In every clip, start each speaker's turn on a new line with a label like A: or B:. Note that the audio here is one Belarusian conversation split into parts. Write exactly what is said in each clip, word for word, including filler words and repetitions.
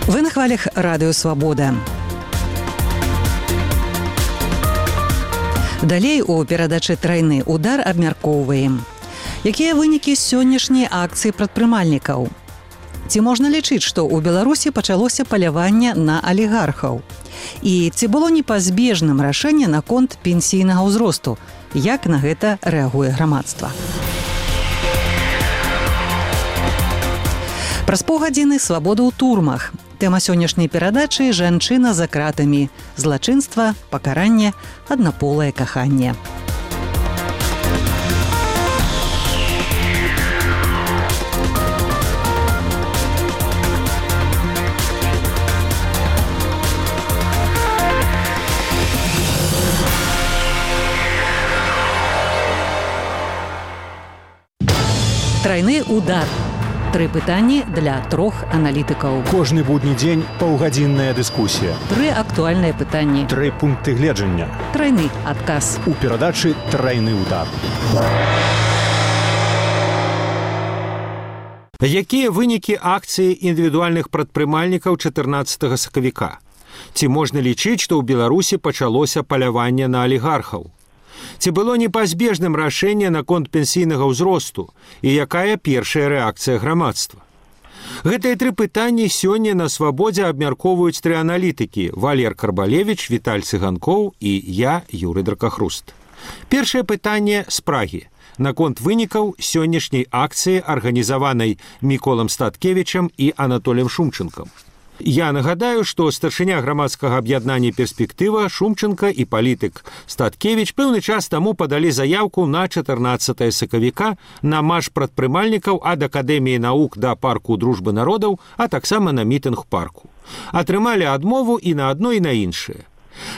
A: Вы на хвалях радыё Свабода. Далей у перадачы «Трайны удар» абмяркоўваем. Якія вынікі сённяшняй акцыі прадпрымальнікаў? Ці можна лічыць, што ў Беларусі пачалося паляванне на алігархаў? І ці было непазбежным рашэнне наконт пенсійнага ўзросту? Як на гэта рэагуе грамадства? Праз паўгадзіны свабода ў турмах. Тэма сённяшняй перадачы – жанчына за кратамі. Злачынства, пакаранне, аднаполае каханне. Трайны удар. Тры пытанні для трох аналітыкаў.
B: Кожны будні дзень паўгадзінная дыскусія.
A: Тры актуальныя пытанні.
B: Тры пункты гледжання.
A: Трайны адказ.
B: У перадачы «Трайны удар».
C: Якія вынікі акцыі індывідуальных прадпрымальнікаў чатырнаццатага сакавіка? Ці можна лічыць, што ў Беларусі пачалося паляванне на алігархаў? Ці было непазбежным рашэнне наконт пенсійнага ўзросту і якая першая рэакцыя грамадства? Гэтыя тры пытанні сёння на свабодзе абмяркоўваюць тры аналітыкі – Валер Карбалевіч, Віталь Цыганкоў і я, Юрый Дракахруст. Першае пытанне з Прагі наконт вынікаў сённяшняй акцыі, арганізаванай Міколам Статкевічам і Анатоліем Шумчэнкам. Я нагадаю, што старшыня грамадскага аб'яднання «Перспектыва» Шумчэнка і палітык Статкевіч пэўны час таму падалі заяўку на чатырнаццатае сакавіка на марш прадпрымальнікаў ад Акадэміі навук да парку дружбы народаў, а таксама на мітынг парку. Атрымалі адмову і на адно, і на іншае.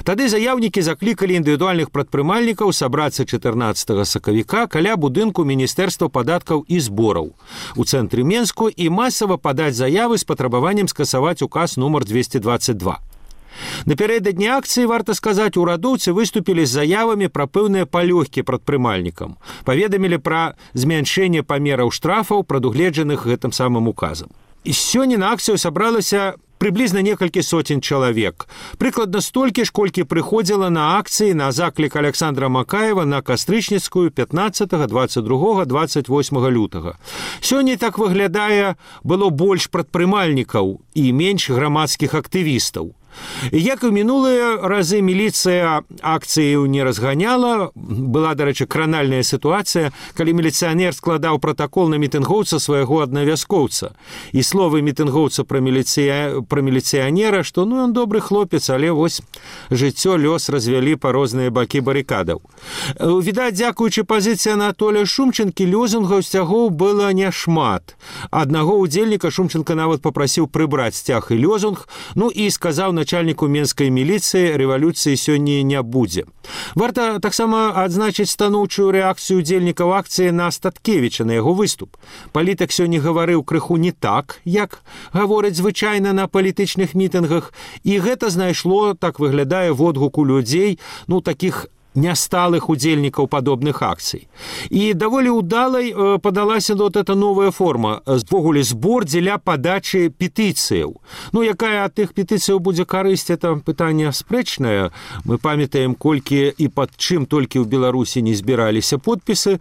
C: Тады заяўнікі заклікалі індывідуальных прадпрымальнікаў сабрацца чатырнаццатага сакавіка каля будынку Міністэрства падаткаў і збораў у цэнтры Менску і масава падаць заявы з патрабаваннем скасаваць указ нумар двесце дваццаць два. Напярэдадні акцыі, варта сказаць, урадоўцы выступілі з заявамі пра пэўныя палёгкі прадпрымальнікам, паведамілі пра змяншэнне памераў штрафаў, прадугледжаных гэтым самым указам. І сёння на акцыю сабралася прыблізна некалькі соцень чалавек. Прыкладна столькі ж, колькі прыходзіла на акцыі на заклік Аляксандра Макаева на Кастрычніцкую пятнаццатага, дваццаць другога, дваццаць восьмага лютага. Сёння, так выглядае, было больш прадпрымальнікаў і менш грамадскіх актывістаў. Як і мінулыя разы, міліцыя акцыю не разганяла. Была, дарэчы, кранальная сітуацыя, калі міліцыянер складаў пратакол на мітынгоўца свайго аднавяскоўца. І словы мітынгоўца пра, міліцыя... пра міліцыянера, што ну ён добры хлопец, але вось жыццё, лёс развялі па розныя бакі барыкадаў. Відаць, дзякуючы пазіцыі Анатолія Шумчэнкі, лёзунгаў сцягоў было няшмат. Аднаго ўдзельніка Шумчэнка нават папрасіў прыбраць сцяг і лёзунг, ну і сказаў на начальніку менскай міліцыі, рэвалюцыі сёння не будзе. Варта таксама адзначыць станоўчую рэакцыю удзельнікаў акцыі на Статкевіча, на яго выступ. Палітык сёння гаварыў крыху не так, як гавораць звычайна на палітычных мітынгах, і гэта знайшло, так выглядае, водгуку людзей, ну, такіх нясталых удзельнікаў падобных акцый. І даволі ўдалай э, падалася вот эта новая форма, звогуле збор дзеля падачы петыцыяў. Ну, якая ад тых петыцыяў будзе карысць, это пытанне спрэчнае. Мы памятаем, колькі і пад чым толькі ў Беларусі не збіраліся подпісы,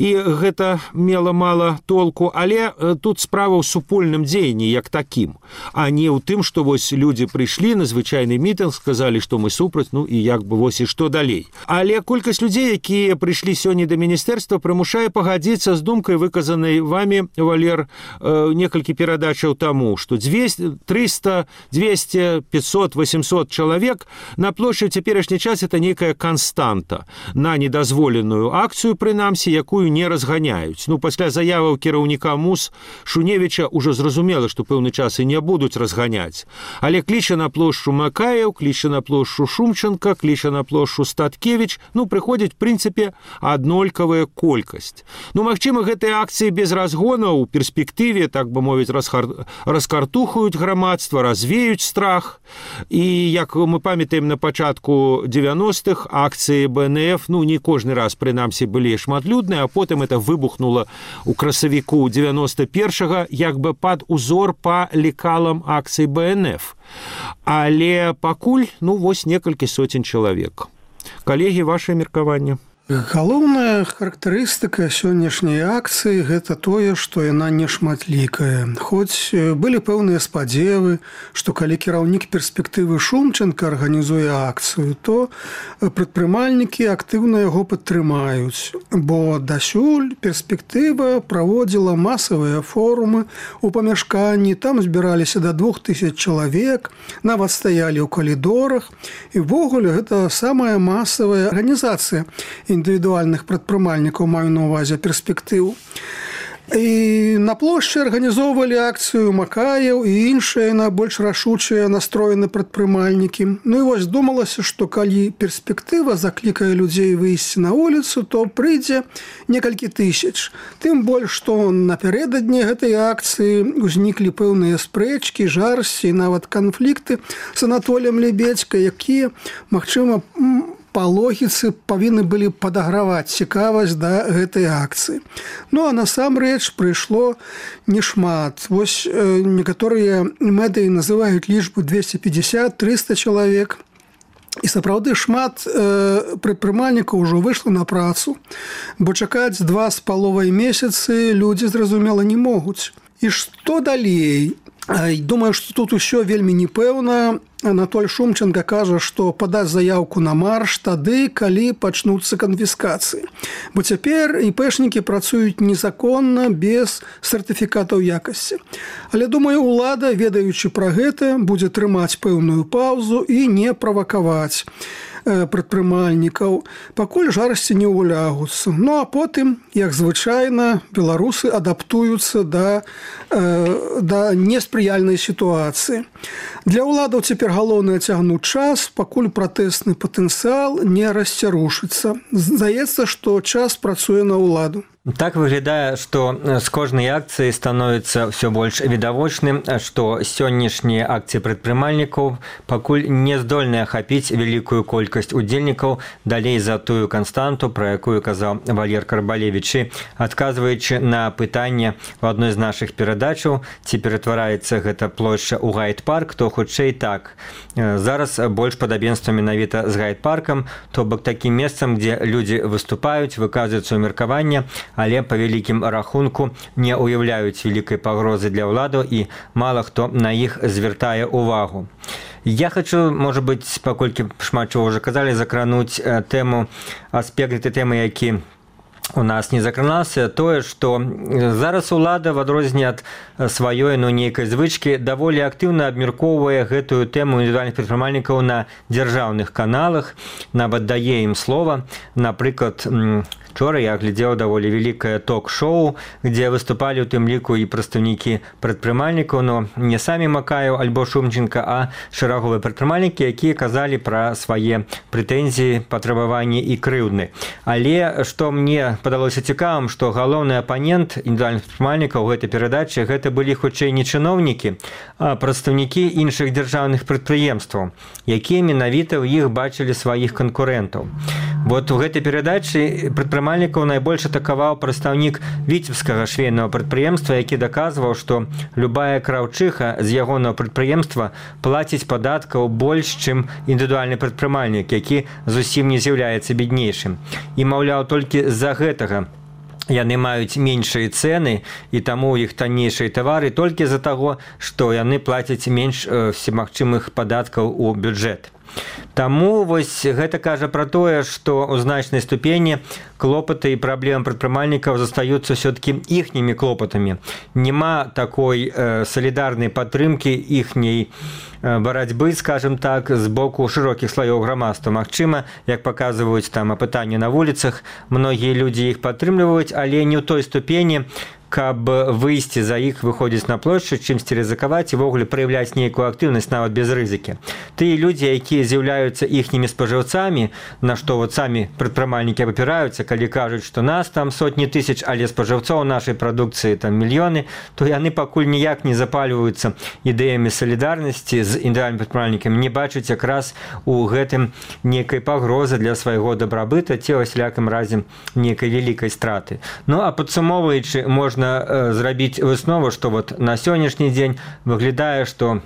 C: і гэта мела мала толку, але э, тут справа ў супольным дзеянні як такім, а не ў тым, што вось людзі прыйшлі на звычайны мітынг, сказалі, што мы супраць, ну і як бы вось і што далей. Але колькасць людзей, якія прыйшлі сёння да міністэрства, прымушае пагадзіцца з думкай, выказанай вамі, Валер, э, некалькі перадачаў таму, што трыста, дзвесце, пятьсот, восемьсот чалавек на плошчы ў цяперашні час это нейкая канстанта на недазволеную акцыю, прынамсі, якую не разганяюць. Ну, пасля заяваў кіраўніка МУС Шуневіча ўжо зразумела, што пэўны час і не будуць разганяць. Але кліча на плошчу Макаеў, кліча на плошчу Шумчэнка, кліча на плошчу Статкевіча, Янукович, ну, прыходзіць, в прынцыпе, аднолькавая колькасць. Ну, магчыма, гэтыя акцыі без разгона ў перспектыве, так бы мовіць, расхар... раскартухаюць грамадства, развеюць страх. І, як мы памятаем, на пачатку дзевяностых акцыі бэ эн эф, ну, не кожны раз, прынамсі, былі шматлюдныя, а потым это выбухнула ў красавіку дзевяносто першага, як бы пад узор па лекалам акцый бэ эн эф. Але пакуль, ну, вось некалькі соцень чалавек. Калегі, ваше меркаванне?
D: Галоўная характарыстыка сённяшняй акцыі – гэта тое, што яна не шматлікая. Хоць былі пэўныя спадзевы, што калі кіраўнік перспектывы Шумченка арганізуе акцыю, то прадпрымальнікі актыўна яго падтрымаюць. Бо дасюль перспектыва праводзіла масавыя форумы ў памяшканні, там збіраліся да двух тысяч чалавек, нават стаялі ў калідорах. І ввогуле гэта самая масавая арганізацыя індывідуальных прадпрымальнікаў, маю на ўвазе перспектыў. І на плошчы арганізоўвалі акцыю Макаеў і іншыя найбольш рашучыя настроены прадпрымальнікі. Ну і вось думалася, што калі перспектыва заклікае людзей выйсці на вуліцу, то прыйдзе некалькі тысяч. Тым больш, што напярэдадні гэтай акцыі ўзніклі пэўныя спрэчкі, жарсці і нават канфлікты з Анатоліем Лебедзька, якія, магчыма, па логіцы павінны былі падаграваць цікавасць да гэтай акцыі. Ну, а насамрэч прыйшло нешмат. Вось э, некаторыя медыі называюць лічбу двести пятьдесят - триста чалавек. І сапраўды шмат э, прадпрымальнікаў ужо выйшла на працу, бо чакаць два з паловай месяцы людзі, зразумела, не могуць. І што далей? Думаю, што тут усё вельмі непэўна. Анатоль Шумченко кажа, што падаць заяўку на марш тады, калі пачнуцца канфіскацыі. Бо цяпер іпэшнікі працуюць незаконна, без сертыфікатаў якасці. Але, думаю, улада, ведаючы пра гэта, будзе трымаць пэўную паўзу і не правакаваць прадпрымальнікаў, пакуль жарсці не ўлягуцца. Ну, а потым, як звычайна, беларусы адаптуюцца да, да неспрыяльнай сітуацыі. Для ўладаў цяпер галоўнае цягнуць час, пакуль пратэсны патэнцыял не расцярушыцца. Здаецца, што час працуе на ўладу.
E: Так выглядае, што з кожнай акцыі становіцца ўсё больш відавочным, што сённяшнія акцыі прадпрымальнікаў пакуль не здольныя ахапіць вялікую колькасць удзельнікаў далей за тую канстанту, пра якую казаў Валер Карбалевіч. І адказваючы на пытанне ў адной з нашых перадачаў, ці ператвараецца гэта плошча ў гайд-парк, то хутчэй так. Зараз больш падабенства менавіта з гайд-паркам, то бок такім месцам, дзе людзі выступаюць, выказваюць сваё меркаванне, але па вялікім рахунку не ўяўляюць вялікай пагрозы для ўладаў і мала хто на іх звяртае ўвагу. Я хочу, можа быць, паколькі шмат чаго ўжо казалі, закрануць тэму, аспект гэтай тэмы, які у нас не закранаўся, тое, што зараз улада, в адрозненне ад сваёй, ну, нейкай звычкі, даволі актыўна абмяркоўвае гэтую тэму індывідуальных прадпрымальнікаў на дзяржаўных каналах, нават дае ім слова. Напрыклад, вчора я глядзеў даволі вялікае ток-шоу, дзе выступалі ў тым ліку і прадстаўнікі прадпрымальнікаў, но не самі Макаеў альбо Шумченко, а шэраговыя прадпрымальнікі, якія казалі пра свае прэтэнзіі, патрабаванні і крыўдны. Але што мне падалося цікавым, што галоўны апанент індывідуальных прадпрымальнікаў у гэтай перадачы гэта былі хутчэй не чыноўнікі, а прадстаўнікі іншых дзяржаўных прадпрыемстваў, якія менавіта ў іх бачылі сваіх канкурэнтаў. Вот у гэтай перадачы прадпрымальнікаў найбольш атакаваў прадстаўнік віцебскага швейнага прадпрыемства, які даказваў, што любая краўчыха з ягонага прадпрыемства плаціць падаткаў больш, чым індывідуальны прадпрымальнік, які зусім не з'яўляецца беднейшым. І, маўляў, толькі з-за гэтага яны маюць меншыя цэны, і таму ў іх таннейшыя тавары толькі з-за таго, што яны плацяць менш всемагчымых падаткаў у бюджэт. Таму вось гэта кажа пра тое, што ў значнай ступені клопаты і праблемы прадпрымальнікаў застаюцца ўсё-такі іхнімі клопатамі. Нема такой э, салідарнай падтрымкі іхняй э, барацьбы, скажем так, з боку шырокіх слаёў грамадства. Магчыма, як паказваюць там апытанні на вуліцах, многія людзі іх падтрымліваюць, але не ў той ступені, каб выйсці за іх, выходзіць на плошчу, чымсьці рызыкаваць і ввогуле праяўляць нейкую актыўнасць нават без рызыкі. Тыя людзі, якія з'яўляюцца іхнімі спажыўцамі, на што вот самі прадпрымальнікі абапіраюцца, калі кажуць, што нас там сотні тысяч, але спажыўцоў нашай прадукцыі там мільёны, то яны пакуль ніяк не запальваюцца ідэямі салідарнасці з індывідуальнымі прадпрымальнікамі, не бачаць якраз у гэтым нейкай пагрозы для свайго дабрабыта ці ў усялякім разе нейкай вялікай страты. Ну, а падсумоўваючы, можна э, зрабіць выснову, што вот на сённяшні дзень выглядае, што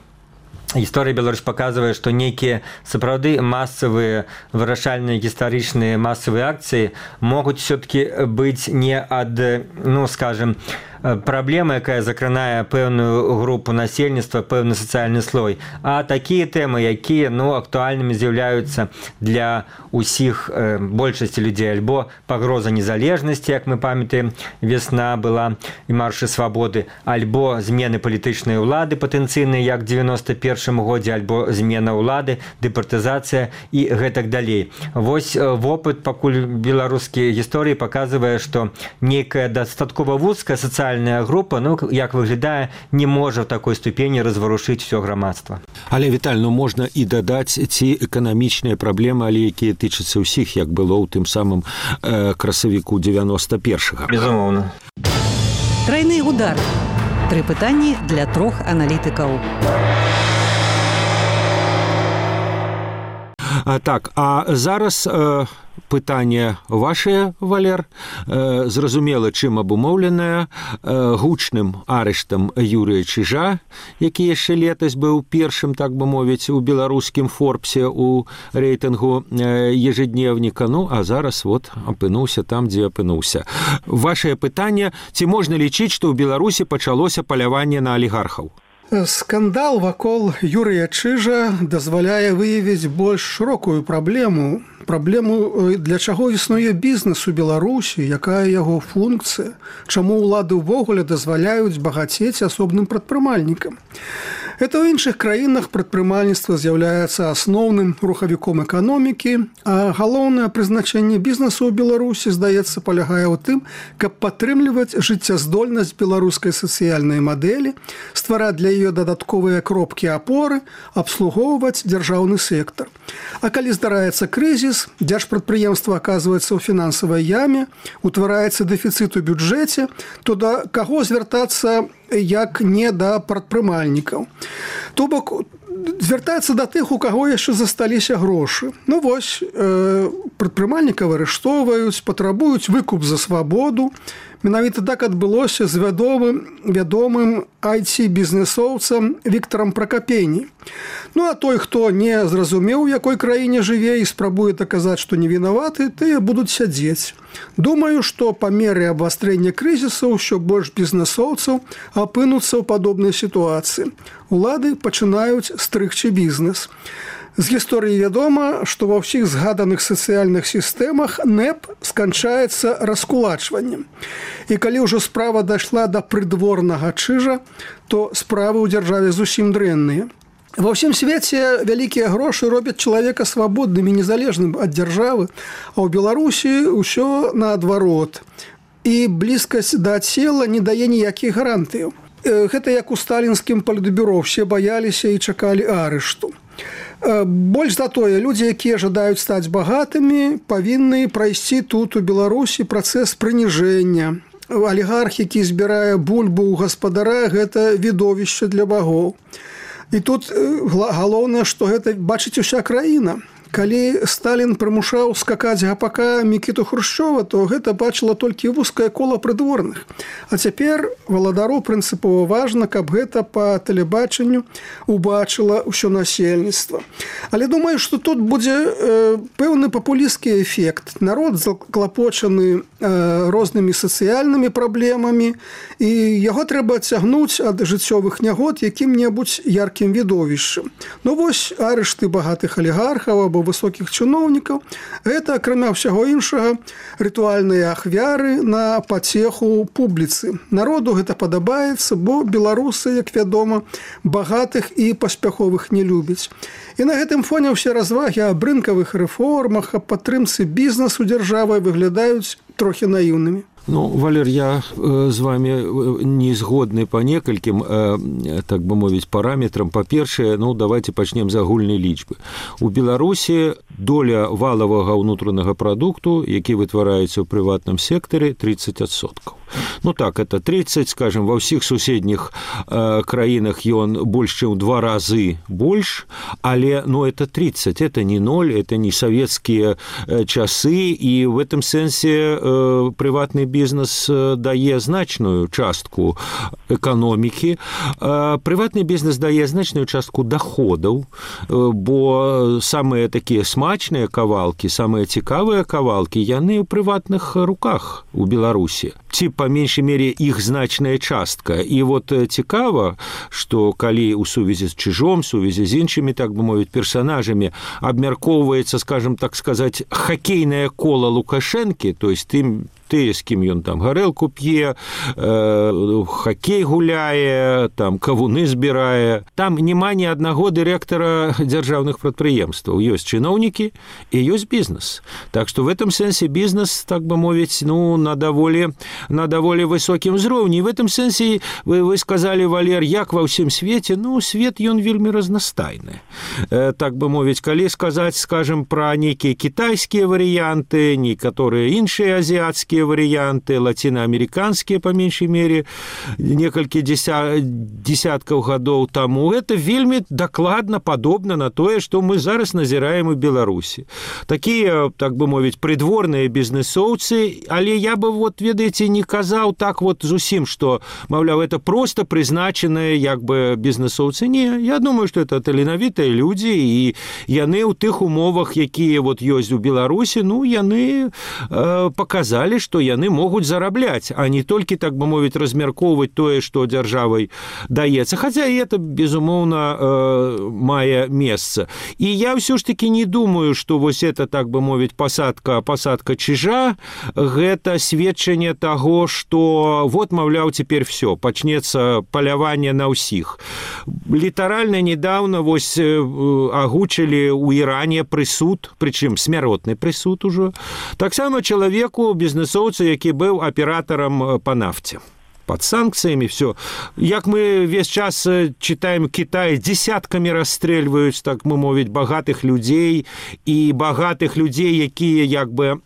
E: гісторыя Беларусь паказвае, што нейкія сапраўды масавыя вырашальныя гістарычныя масавыя акцыі могуць все-таки быць не ад, ну, скажем, праблема, якая закранае пэўную групу насельніцтва, пэўны сацыяльны слой, а такія тэмы, якія, ну, актуальнымі з'яўляюцца для ўсіх э, большасці людзей, альбо пагроза незалежнасці, як мы памятаем, весна была і маршы свабоды, альбо змены палітычнай улады патэнцыйныя, як девяносто першым годзе, альбо змена ўлады, дэпартызацыя і гэтак далей. Вось вопыт пакуль беларускія гісторыі паказвае, што нейкая дастаткова вузкая сацыяльная група, ну, як выглядае, не можа в такой ступені разварушыць все грамадства.
C: Але, Віталь, ну, можна і дадаць ці эканамічныя праблемы, але якія тычацца ўсіх, як было ў тым самым э, красавіку девяносто першага.
E: Безумоўна.
A: Трайны удар. Тры пытанні для трох аналітыкаў.
C: А, так, а зараз э, пытанне ваше, Валер, э, зразумела, чым абумоўленае э, гучным арыштам Юрыя Чижа, які яшчэ летась быў першым, так бы мовіць, у беларускім Форбсе у рэйтынгу э, ежедневніка, ну, а зараз вот апынуўся там, дзе апынуўся. Вашае пытанне, ці можна лічыць, што ў Беларусі пачалося паляванне на алігархаў?
D: Скандал вакол Юрыя Чижа дазваляе выявіць больш шырокую праблему, праблему, для чаго існуе бізнес у Беларусі, якая яго функцыя, чаму ўлады ўвогуле дазваляюць багацець асобным прадпрымальнікам. Это ў іншых краінах прадпрымальніцтва з'яўляецца асноўным рухавіком эканомікі, а галоўнае прызначэнне бізнесу ў Беларусі, здаецца, палягае ў тым, каб падтрымліваць жыццяздольнасць беларускай сацыяльнай мадэлі, ствараць для яе дадатковыя кропкі апоры, абслугоўваць дзяржаўны сектар. А калі здараецца крызіс, дзяржпрадпрыемства аказваецца ў фінансавай яме, утвараецца дэфіцыт у бюджэце, то да каго звяртацца, як не да прадпрымальнікаў. То бок, звяртаецца да тых, у каго яшчэ засталіся грошы. Ну вось, э, прадпрымальнікаў арыштоўваюць, патрабуюць выкуп за свабоду. Менавіта так адбылося з вядомым, вядомым ай ти-бізнесоўцам Віктарам Пракапені. Ну, а той, хто не зразумеў, у якой краіне жыве і спрабуе даказаць, што не вінаваты, тыя будуць сядзець. Думаю, што па меры абвастрэння крызісу ўсё больш бізнесоўцаў апынуцца ў падобнай сітуацыі. Улады пачынаюць стрыгчы бізнес. З гісторыі вядома, што ва ўсіх згаданых сацыяльных сістэмах нэп сканчаецца раскулачваннем. І калі ўжо справа дайшла да прыдворнага Чижа, то справы ў дзяржаве зусім дрэнныя. Ва ўсім свеце вялікія грошы робяць чалавека свабодным і незалежным ад дзяржавы, а ў Беларусі ўсё наадварот. І блізкасць да цела не дае ніякіх гарантыяў. Гэта як у сталінскім палітбюро, все баяліся і чакалі арышту. Больш за тое, людзі, якія жадаюць стаць багатымі, павінны прайсці тут у Беларусі працэс прыніжэння. Алігарх, які збірае бульбу ў гаспадара, гэта відовішча для багоў. І тут галоўнае, што гэта бачыць уся краіна. Калі Сталін прымушаў скакаць гапака Мікіту Хрушчова, то гэта бачыла толькі вузкае кола прыдворных. А цяпер валадару прынцыпова важна, каб гэта па тэлебачанню убачыла ўсё насельніцтва. Але думаю, што тут будзе э, пэўны папулісцкі эфект. Народ заклапочаны э, рознымі сацыяльнымі праблемамі, і яго трэба адцягнуць ад жыццёвых нягод якім-небудзь яркім відовішчам. Ну вось арышты багатых алігархаў або высокіх чыноўнікаў, гэта, акрамя ўсяго іншага, рытуальныя ахвяры на пацеху публіцы. Народу гэта падабаецца, бо беларусы, як вядома, багатых і паспяховых не любяць. І на гэтым фоне ўсе развагі аб рынкавых рэформах, аб падтрымцы бізнесу дзяржавай выглядаюць трохі наіўнымі.
C: Ну, Валер, я э, з вами не згодны па некалькім, э, так бы мовіць, параметрам. Па-першае, ну, давайте пачнем з агульнай лічбы. У Беларусі доля валавага ўнутранага прадукту, які вытвараецца ў прыватным сектары, тридцать адсоткаў. Ну так, это тридцать, скажем, ва ўсіх суседніх э, краінах ён больш, чым два разы больш, але, ну, это тридцать, это не ноль, это не советские э, часы, і в этом сэнсе э, прыватны бізнес дае значную частку эканомікі. Э, прыватны бізнес дае значную частку доходаў, э, бо самыя такія смачныя кавалкі, самыя цікавыя кавалкі, яны ў прыватных руках у Беларусі. Ці по меншай мере іх значная частка. І вот цікава, што калі ў сувязі з Чижом, сувязі з іншымі, так бы мовіць, персонажамі абмяркоўваецца, скажем так сказаць, хакейнае кола Лукашэнкі, то есть тым тыя, з кім ён там гарэлку п'е, э, хакей гуляе, там кавуны збірае. Там няма ні аднаго дырэктара дзяржаўных прадпрыемстваў. Ёсць чыноўнікі і ёсць бізнес. Так што в этом сэнсе бізнес, так бы мовіць, ну, на даволі, на даволі высокім узроўні. В этом сэнсе вы, вы сказалі, Валер, як ва ўсім свеце? Ну, свет ён вельмі разнастайны. Э, так бы мовіць, калі сказаць, скажем, пра нейкія кітайскія варыянты, некаторыя іншыя азіяцкія варианты, латиноамериканские, по меньшей мере, некалькі десяткаў гадоў таму. Это вельмі дакладна падобна на тое, што мы зараз назіраем у Беларусі. Такія, так бы мовіць, прыдворныя бізнесоўцы, але я бы, вот, ведаеце, не казаў так вот зусім, што, маўляў, это просто прызначаныя, як бы, бізнесоўцы. Не, я думаю, што это таленавітыя людзі, і яны ў тых умовах, якія вот ёсць у Беларусі, ну, яны э, показалі, што яны могуць зарабляць, а не толькі, так бы мовіць, размяркоўваць тое, што дзяржавай даецца. Хаця і это, безумоўна, э, мае месца. І я ўсё ж таки не думаю, што вось это, так бы мовіць, пасадка, пасадка Чижа, гэта сведчанне таго, што вот, маўляў, цяпер всё, пачнецца паляванне на ўсіх. Літаральна недавно вось агучылі ў Іране прысуд, прычым смяротны прысуд ужо, таксама чалавеку, бізнесоўцу, які быў аператарам па нафце. Под санкциями все. Як мы весь час читаем, Китай десятками расстрельваюць, так мы мовіць, багатых людзей, і багатых людзей, якія як бы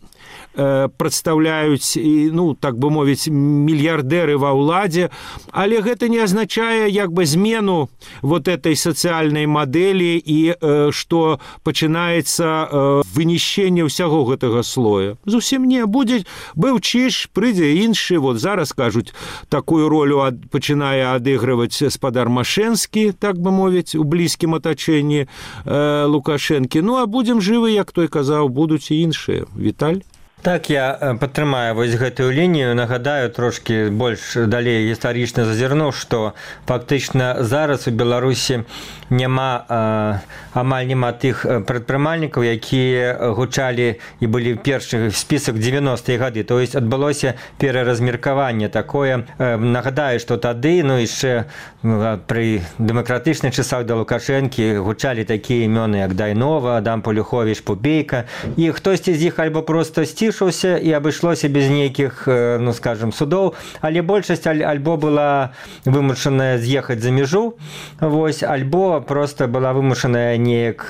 C: прадстаўляюць, ну, так бы мовіць, мільярдэры ва ўладзе, але гэта не азначае як бы змену вот этой сацыяльнай мадэлі і што пачынаецца вынішчэнне ўсяго гэтага слоя. Зусім не. Будзе, быў Чиж, прыйдзе іншы, вот зараз, кажуць, такую ролю ад, пачынае адыгрываць спадар Машэнскі, так бы мовіць, у блізкім атачэнні э, Лукашэнкі. Ну, а будзем жывы, як той казаў, будуць і іншыя. Віталь?
E: Так, я падтрымаю вось гэтую лінію, нагадаю трошки больш далей гістарычна зазірнуў, што фактычна зараз у Беларусі няма, а, амаль няма тых прадпрымальнікаў, якія гучалі і былі першых в спісак дзевяностыя гады. То есть адбылося пераразмеркаванне такое. Нагадаю, што тады, ну, яшчэ пры дэмакратычных часах да Лукашэнкі гучалі такія імёны, як Дайнова, Адам Полюховіч, Пупейка, і хтосьці з іх альбо проста сцішаўся і абышлося без нейкіх, ну, скажем, судоў, але большасць альбо была вымушаная з'ехаць за мяжу, вось, альбо просто была вымушаная неяк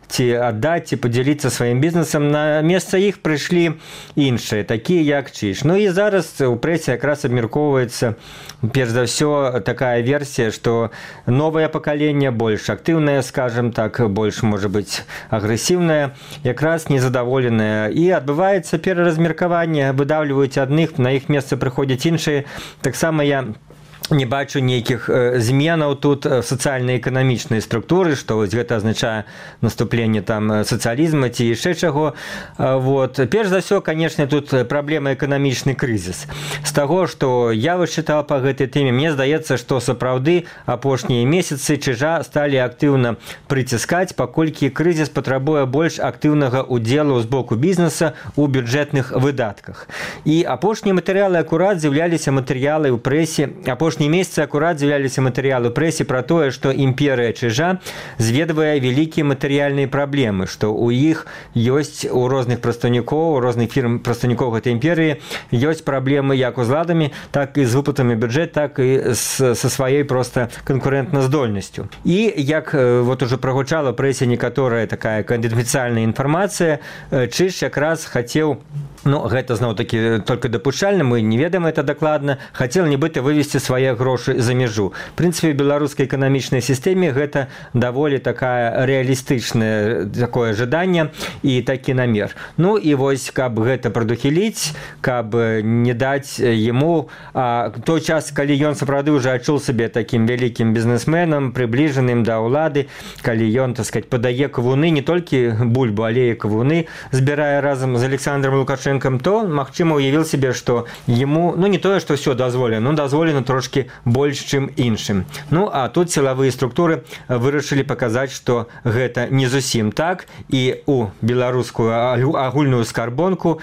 E: ці аддаць, ці падзяліцца сваім бізнесам. На месца іх прыйшлі іншыя, такія як Чиж. Ну і зараз у прэсе якраз абмяркоўваецца, перш за ўсё, такая версія, што новае пакаленне больш актыўнае, скажем так, больш, можа быць, агрэсіўнае, якраз незадаволенае, і адбываецца пераразмеркаванне, выдаўліваюць адных, на іх месца прыходзяць іншыя. Таксама я не бачу нейкіх зменаў тут в сацыяльна-эканамічнай структуры, што вось гэта азначае наступленне там сацыялізма ці яшчэ чаго. Вот. Перш за ўсё, канешне, тут праблема эканамічны крызіс. З таго, што я вычытаў па гэтай тэме, мне здаецца, што сапраўды апошнія месяцы Чижа сталі актыўна прыціскаць, паколькі крызіс патрабуе больш актыўнага удзелу з боку бізнеса ў бюджэтных выдатках. І апошнія матэрыялы акурат з'яўляліся матэрыялы ў прэсе апошніх апошнія месяцы акурат з'яўляліся матэрыялы прэсе пра тое, што імперыя чыжа зведвае вялікія матэрыяльныя праблемы, што ў іх ёсць у розных прадстаўнікоў, у розных фірм прадстаўнікоў гэтай імперыі ёсць праблемы як узладамі, так і з выплатамі бюджэт, так і з, са сваёй проста канкурэнтназдольнасцю. І як вот уже прагучала прэсе некаторая такая канфідэнцыяльная інфармацыя, Чыж якраз хацеў, ну, гэта зноў-такі толькі дапушчальна, мы не ведаем это дакладна, хацеў нібыта вывесці свае грошы за мяжу. В прынцыпе, в беларускай эканамічнай сістэме гэта даволі такая рэалістычнае такое жаданне і такі намер. Ну і вось, каб гэта прадухіліць, каб не даць яму а, той час, калі ён сапраўды ўжо адчуў сабе такім вялікім бізнесменам, прыбліжаным да ўлады, калі ён, так сказаць, падае кавуны, не толькі бульбу, але і кавуны збірае разам з Александром Лукашенком, то, магчыма, уявіў себе, што яму, ну, не тое, што ўсё дазволена, ну, дазволена трошкі больш, чым іншым. Ну, а тут сілавыя структуры вырашылі паказаць, што гэта не зусім так, і у беларускую агульную скарбонку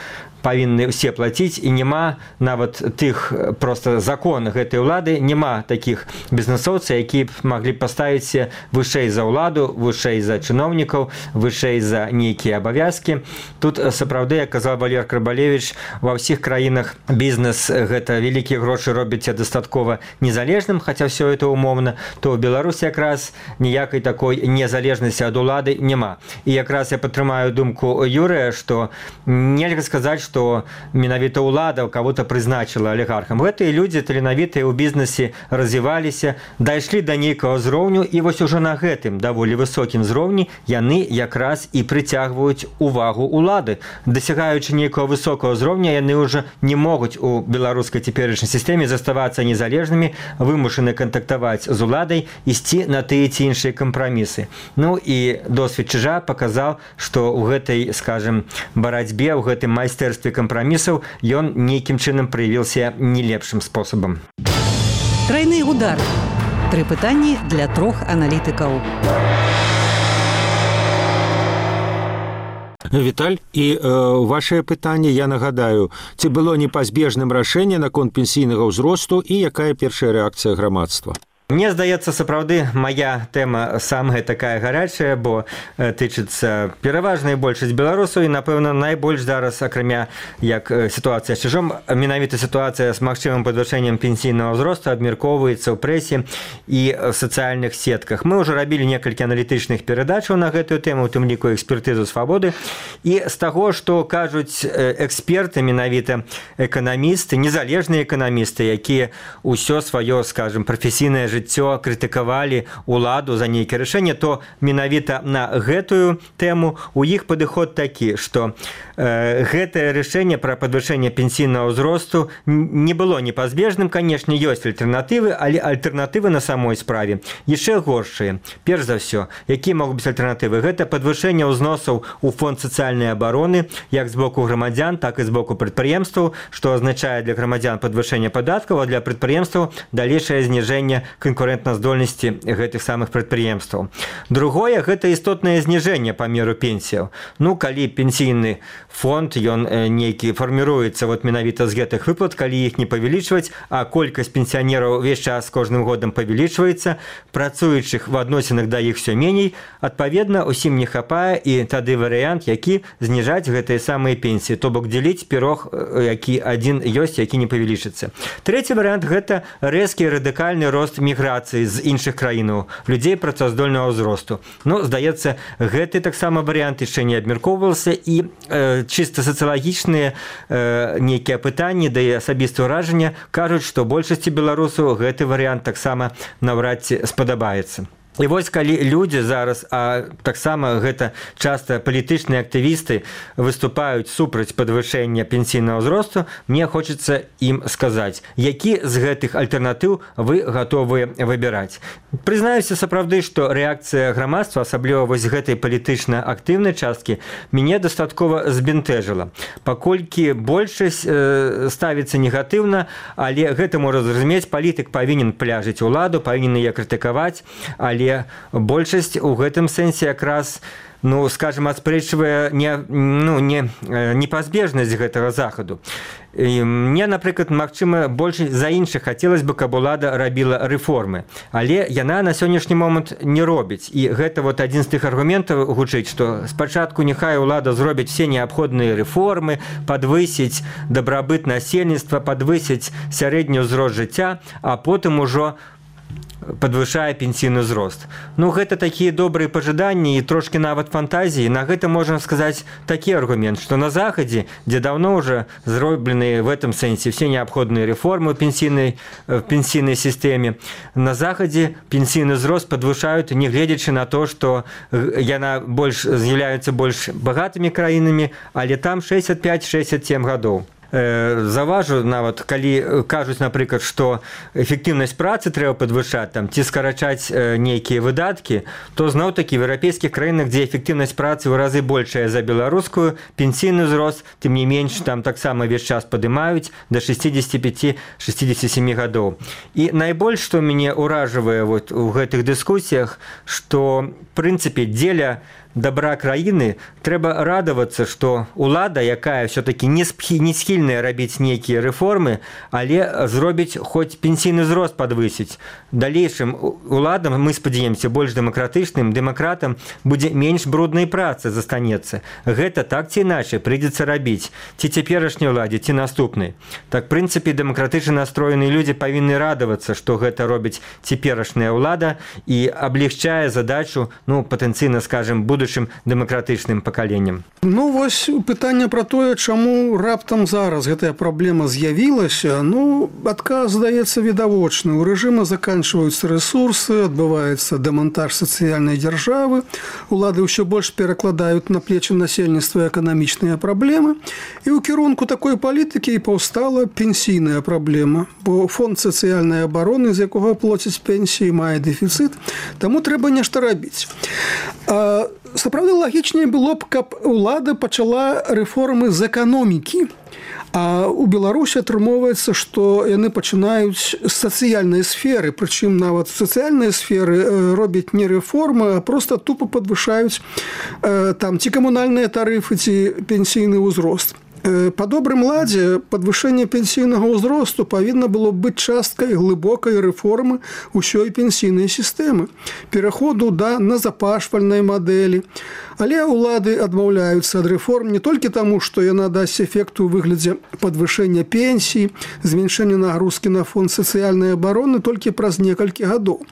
E: павінны ўсе плаціць, і няма нават тых проста закон гэтай улады, няма такіх бізнесоўцаў, якія б маглі паставіць вышэй за ўладу, вышэй за чыноўнікаў, вышэй за нейкія абавязкі. Тут сапраўды, як казаў Валер Крабалевіч, ва ўсіх краінах бізнес гэта вялікія грошы робіць дастаткова незалежным, хаця ўсё это умоўна, то ў Беларусі якраз ніякай такой незалежнасці ад улады няма. І якраз я падтрымаю думку Юрыя, што нельга сказаць, што што менавіта ўлада кого-то прызначыла алігархам. Гэтыя людзі таленавітыя ў бізнесе развіваліся, дайшлі да нейкага ўзроўню, і вось ужо на гэтым даволі высокім ўзроўні яны якраз і прыцягваюць увагу ўлады. Дасягаючы нейкага высокага ўзроўня, яны ўжо не могуць у беларускай цяперашняй сістэме заставацца незалежнымі, вымушаны кантактаваць з уладай, ісці на тыя ці іншыя кампрамісы. Ну і досвед Чыжа паказаў, што ў гэтай, скажем, барацьбе, ў гэтым майстэрстве кампрамісаў ён нейкім чынам праявіўся не лепшым спосабам.
A: Трайны удар. Тры пытанні для трох аналітыкаў.
C: Віталь, і э, вашае пытанне, я нагадаю, ці было непазбежным рашэнне наконт пенсійнага ўзросту і якая першая рэакцыя грамадства?
E: Мне здаецца, сапраўды, моя тэма самая такая гарячая, бо тычыцца пераважная большасць беларусаў, і, напэўна, найбольш зараз, акрамя як сітуацыя з Чыжом, менавіта сітуацыя з магчымым падвышэннем пенсійнага ўзросту абмяркоўваецца ў прэсе і в сацыяльных сетках. Мы ўжо рабілі некалькі аналітычных перадачаў на гэтую тэму, у тым ліку экспертызу свабоды, і з таго, што кажуць эксперты, менавіта эканамісты, незалежныя эканамісты, якія ўсё сваё, скажем, прафесійнае жыццё крытыкавалі ўладу за нейкае рашэнне, то менавіта на гэтую тэму у іх падыход такі, што э, гэтае рашэнне пра падвышэнне пенсійнага ўзросту не было непазбежным, канешне, ёсць альтэрнатывы, але альтэрнатывы на самой справе яшчэ горшыя. Перш за ўсё, якія могуць быць альтэрнатывы? Гэта падвышэнне ўзносаў у фонд сацыяльнай абароны, як з боку грамадзян, так і з боку прадпрыемстваў, што азначае для грамадзян падвышэнне падаткаў, а для прадпрыемстваў далейшае зніжэнне канкурэнтназдольнасці гэтых самых прадпрыемстваў. Другое, гэта істотнае зніжэнне памеру пенсіяў. Ну, калі пенсійны фонд, ён нейкі фарміруецца вот менавіта з гэтых выплат, калі іх не павялічваць, а колькасць пенсіянераў увесь час з кожным годам павялічваецца, працуючых в адносінах да іх все меней, адпаведна, усім не хапае, і тады варыянт, які зніжаць гэтыя самыя пенсіі, то бок дзеліць пірог, які адзін ёсць, які не павялічыцца. Трэці варыянт, гэта рэзкі радыкальны рост міграцыі з іншых краінаў, людзей працаздольнага ўзросту. Ну, здаецца, гэты таксама варыянт яшчэ не абмяркоўваўся, і э, чыста сацыялагічныя э, нейкія пытанні, да і асабістае ўражанне кажуць, што большасці беларусаў гэты варыянт таксама наўрад ці спадабаецца. І вось калі людзі зараз, а таксама гэта часта палітычныя актывісты выступаюць супраць падвышэння пенсійнага ўзросту, мне хочацца ім сказаць, які з гэтых альтэрнатыў вы гатовыя выбіраць. Прызнаюся сапраўды, што рэакцыя грамадства, асабліва вось гэтай палітычна актыўнай часткі, мяне дастаткова збянтэжыла. Паколькі большасць э, ставіцца негатыўна, але гэта можа зразумець, палітык павінен пляжыць уладу, павінен яе крытыкаваць, але але большасць у гэтым сэнсе якраз ну, скажем, аспрэчвае не, ну, не, непазбежнасць гэтага захаду. І мне, напрыклад, магчыма, больш за іншых хацелось бы, каб улада рабіла рэформы. Але яна на сённяшні момант не робіць. І гэта вот адзін з тых аргументаў гучыць, што спачатку няхай улада зробіць все неабходныя рэформы, падвысіць дабрабыт насельніцтва, падвысіць сярэдні ўзрост жыцця, а потым ужо подвышае пенсійны ўзрост. Ну, гэта такія добрыя пажаданні і трошкі нават фантазіі. На гэта можна сказаць такі аргумент, што на Захадзе, дзе даўно ўжо зроблены в этом сэнсе все неабходныя рэформы ў пенсійнай, в пенсійнай сістэме, на Захадзе пенсійны ўзрост падвышаюць, не гледзячы на то, што яна больш з'яўляюцца больш багатымі краінамі, але там шэсцьдзесят пять шэсцьдесят семь гадоў. Заважу нават, калі кажуць, напрыклад, што эфектыўнасць працы трэба падвышаць там, ці скарачаць нейкія выдаткі, то зноў-такі в еўрапейскіх краінах, дзе эфектыўнасць працы ў разы большая за беларускую, пенсійны ўзрост, тым не менш, там таксама ўвесь час падымаюць да шэсцьдесят пять шэсцьдесят семь гадоў. І найбольш, што мяне ўражвае вот у гэтых дыскусіях, што, в прынцыпе, дзеля добра краіны трэба радавацца, што улада, якая все-таки не схільная рабіць нейкія рэформы, але зробіць хоць пенсійны ўзрост падвысіць. Далейшым уладам, мы спадзяемся, больш дэмакратычным дэмакратам будзе менш бруднай працы застанецца. Гэта так ці іначай прыйдзецца рабіць, ці цяперашняй уладзе, ці наступнай. Так, в прынцыпе, дэмакратычна настроеныя людзі павінны радавацца, што гэта робіць цяперашняя ўлада і аблегчае задачу, ну, патэнцыйна, скажем, буду дэмакратычным пакаленнем.
D: Ну, вось пытанне пра тое, чаму раптам зараз гэтая праблема з'явілася, ну, адказ здаецца відавочны. У рэжыма заканчваюцца рэсурсы, адбываецца дэмантаж сацыяльнай дзяржавы, улады ўсё больш перакладаюць на плечы насельніцтва эканамічныя праблемы, і ў кірунку такой палітыкі і паўстала пенсійная праблема, бо фонд сацыяльнай абароны, з якога плоцяць пенсіі, мае дэфіцыт, таму трэба нешта рабіць. А сапраўды лагічней было б, каб улада пачала рэформы з эканомікі. А у Беларусі атрымоўваецца, што яны пачынаюць з сацыяльнай сферы, прычым нават сацыяльныя сферы робяць не рэформы, а проста тупа падвышаюць там ці камунальныя тарыфы, ці пенсійны ўзрост. Па добрым ладзе падвышэнне пенсійнага ўзросту павінна было быць часткай глыбокай рэформы ўсёй пенсійнай сістэмы, пераходу да назапашвальнай мадэлі. Але ўлады адмаўляюцца ад рэформ не толькі таму, што яна дасць эфект у выглядзе падвышэння пенсій, зменшэння нагрузкі на фонд сацыяльнай абароны толькі праз некалькі гадоў.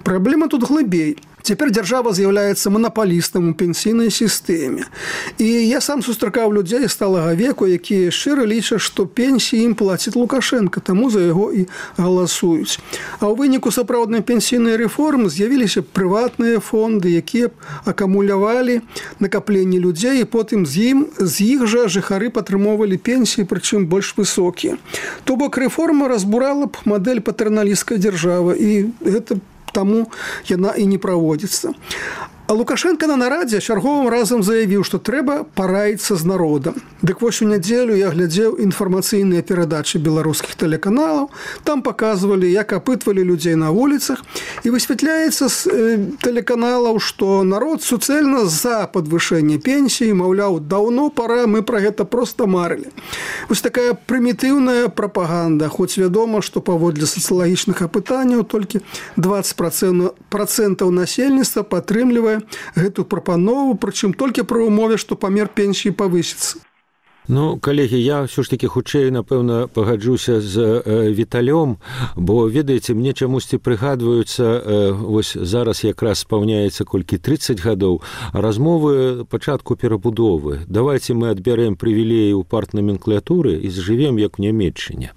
D: Праблема тут глыбей. Цяпер дзяржава з'яўляецца манапалістам у пенсійнай сістэме. І я сам сустракаў людзей сталага веку, якія шчыра лічаць, што пенсіі ім плаціць Лукашенко, таму за яго і галасуюць. А ў выніку сапраўднай пенсійнай рэформы з'явіліся прыватныя фонды, якія б акумулявалі накапленні людзей, і потым з ім з іх жа жыхары падтрымоўвалі пенсіі, прычым больш высокія. То бок рэформа разбурала б мадэль патэрналісцкай дзяржавы, і гэта таму яна і не праводзіцца. А Лукашенко на нарадзе чарговым разам заявіў, што трэба параіцца з народам. Дык вось у нядзелю я глядзеў інфармацыйныя перадачы беларускіх тэлеканалаў. Там паказвалі, як апытвалі людзей на вуліцах. І высвятляецца з тэлеканалаў, што народ суцэльна за падвышэнне пенсіі, маўляў, даўно пара, мы пра гэта проста марылі. Вось такая прымітыўная прапаганда, хоць вядома, што паводле сацыялагічных апытанняў толькі дваццаць працэнтаў насельніцтва падтрымлівае гэту прапанову, прычым толькі пры умове, што памер пенсіі павысіцца.
C: Ну, калегі, я ўсё ж такі хутчэй, напэўна, пагаджуся з э, Віталём, бо, ведаеце, мне чамусьці прыгадваюцца, э, вось зараз якраз спаўняецца колькі трыццаць гадоў, размовы пачатку перабудовы. Давайце мы адбярэм прывілеі ў партнаменклатуры і зжывем, як у Нямецчыне.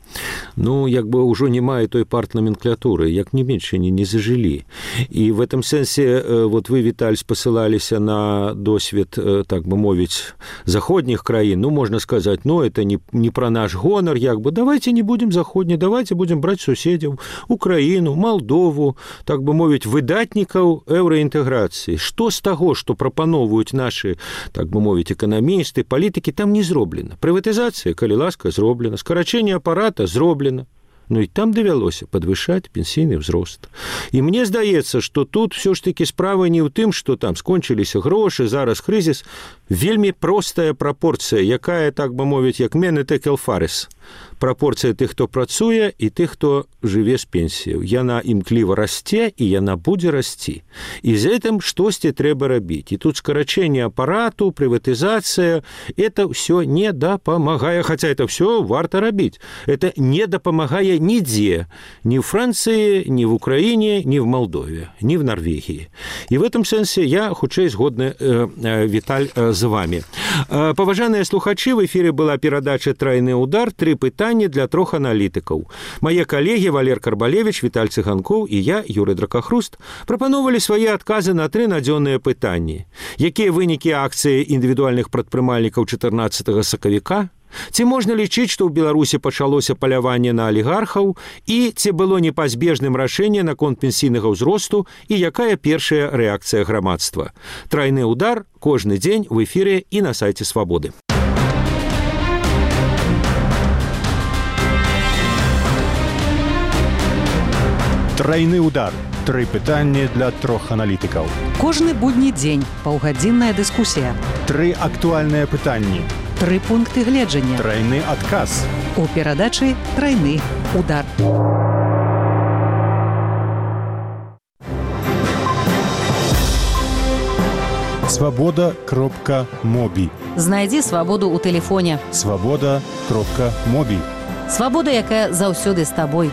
C: Ну, як бы ўжо не мае той партнаменклатуры, як в Нямецчыне не зажылі. І в этом сэнсе, э, вот вы, Віталь, спасылаліся на досвед, э, так бы мовіць, заходніх краін, ну, можна сказать, ну, это не, не про наш гонор, як бы, давайте не будем заходні, давайте будем брать суседзяў, Украіну, Молдову, так бы мовіць, выдатнікаў еўраінтэграцыі. Што з таго, што прапановваюць нашы, так бы мовіць, эканамісты, палітыкі, там не зроблена. Прыватызацыя, калі ласка, зроблена. Скарачэнне апарата зроблена. Ну і там давялося падвышаць пенсійны ўзрост. І мне здаецца, што тут все ж таки справа не ў тым, што там скончыліся грошы, зараз крызіс. Вельмі простая прапорцыя, якая, так бы мовіць, як мене текел фарес. Прапорцыя тых, хто працуе, і тых, хто жыве з пенсіяў. Яна імкліва расце, і яна будзе расці. І з гэтым штосьці трэба рабіць. І тут скарачэнне апарату, прыватызацыя, это ўсё не дапамагае, хаця это ўсё варта рабіць. Это не дапамагае нідзе, ні ў Францыі, ні в Украине, ні в Молдове, ні в Норвегии. И в этом сенсе я хутчэй згодны, э, э, Виталь, э, з вами. Э, Паважаныя слухачы, в эфире была перадача «Трайны удар», три пытання для трох аналітыкаў. Мае калегі Валер Карбалевич, Віталь Цыганкоў і я, Юрый Дракахруст, прапановалі свае адказы на тры надзённыя пытанні. Якія вынікі акцыі індывідуальных прадпрымальнікаў чатырнаццатага сакавіка? Ці можна лічыць, што ў Беларусі пачалося паляванне на алігархаў, і ці было непазбежным рашэнне наконт пенсійнага ўзросту, і якая першая рэакцыя грамадства? Трайны удар кожны дзень в эфіры і на сайце Свабоды.
B: Трайны удар. Тры пытанні для трох аналітыкаў.
A: Кожны будні дзень паўгадзінная дыскусія.
B: Тры актуальныя пытанні.
A: Тры пункты гледжання.
B: Трайны адказ.
A: У перадачы «Трайны удар».
B: Свабода кропка мобі.
F: Знайдзі свабоду ў тэлефоне.
B: Свабода кропка мобі.
F: Свабода, якая заўсёды з табой.